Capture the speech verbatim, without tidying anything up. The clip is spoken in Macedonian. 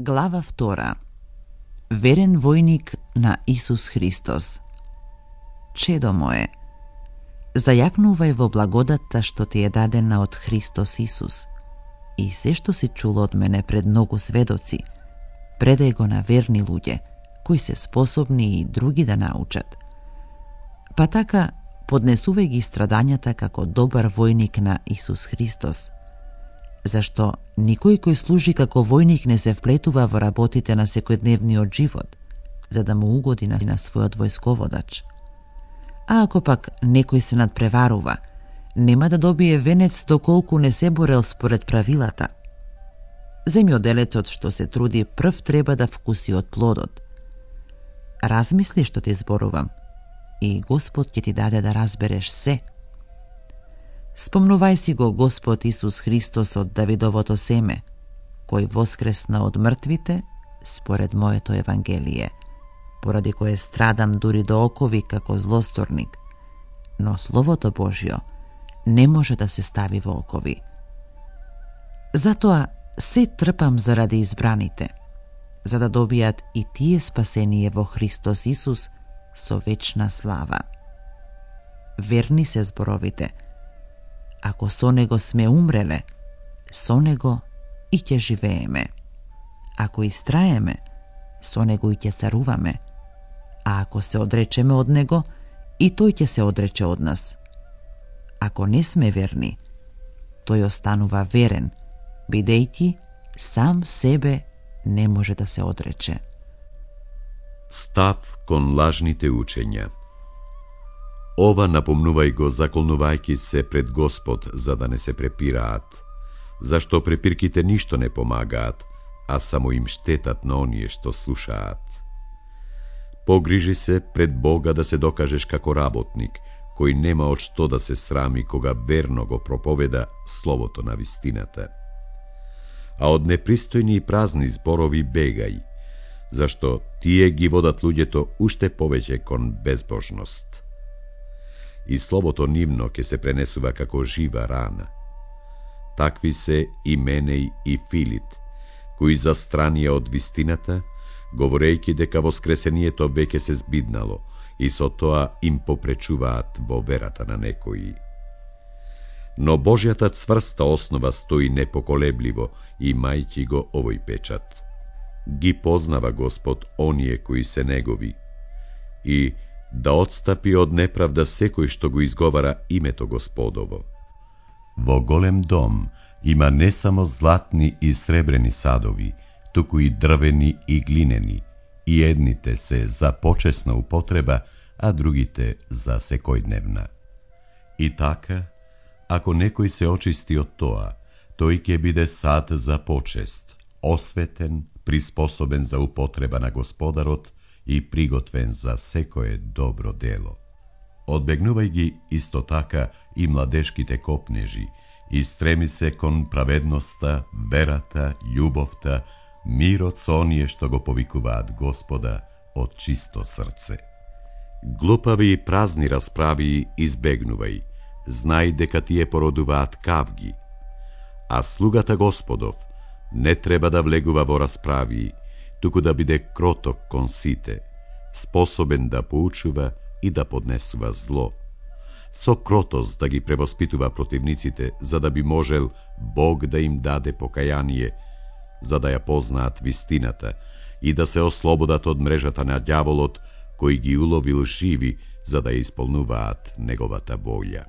Глава втора. Верен војник на Исус Христос. Чедо мое, зајакнувај во благодатта што ти е дадена од Христос Исус и се што си чул од мене пред многу сведоци, предај го на верни луѓе, кои се способни и други да научат. Па така, поднесувај ги страдањата како добар војник на Исус Христос, зашто никој кој служи како војник не се вплетува во работите на секојдневниот живот, за да му угоди на својот војсководач. А ако пак некој се надпреварува, нема да добие венец доколку не се борел според правилата. Земјоделецот што се труди прв треба да вкуси од плодот. Размисли што ти зборувам и Господ ќе ти даде да разбереш се. Спомнувај си го Господ Исус Христос од Давидовото семе, кој воскресна од мртвите според моето Евангелие, поради кое страдам дури до окови како злосторник, но Словото Божјо не може да се стави во окови. Затоа се трпам заради избраните, за да добијат и тие спасение во Христос Исус со вечна слава. Верни се зборовите. Ако со него сме умреле, со него и ќе живееме. Ако истраеме, со него и ќе царуваме. А ако се одречеме од него, и тој ќе се одрече од нас. Ако не сме верни, тој останува верен, бидејќи сам себе не може да се одрече. Став кон лажните учења. Ова напомнувај го заколнувајќи се пред Господ за да не се препираат, зашто препирките ништо не помагаат, а само им штетат на оние што слушаат. Погрижи се пред Бога да се докажеш како работник, кој нема од што да се срами кога верно го проповеда словото на вистината. А од непристојни и празни зборови бегај, зашто тие ги водат луѓето уште повеќе кон безбожност. И словото нивно ќе се пренесува како жива рана. Такви се и Менеј и Филит, кои застранија од вистината, говорејќи дека воскресението веќе се збиднало и со тоа им попречуваат во верата на некои. Но Божјата цврста основа стои непоколебливо, имајќи го овој печат. Ги познава Господ оние кои се негови и да отстапи од неправда секој што го изговара името Господово. Во голем дом има не само златни и сребрени садови, туку и дрвени и глинени, и едните се за почесна употреба, а другите за секојдневна. И така, ако некој се очисти од тоа, тој ќе биде сад за почест, осветен, приспособен за употреба на Господарот и приготвен за секое добро дело. Одбегнувај ги исто така и младешките копнежи и стреми се кон праведноста, верата, љубовта, мирот со оние што го повикуваат Господа од чисто срце. Глупави и празни расправи избегнувај, знај дека тие породуваат кавги, а слугата Господов не треба да влегува во расправи, туку да биде кроток кон сите, способен да поучува и да поднесува зло. Со кротост да ги превоспитува противниците, за да би можел Бог да им даде покаяние, за да ја познаат вистината и да се ослободат од мрежата на ѓаволот, кој ги уловил живи, за да ја исполнуваат неговата волја.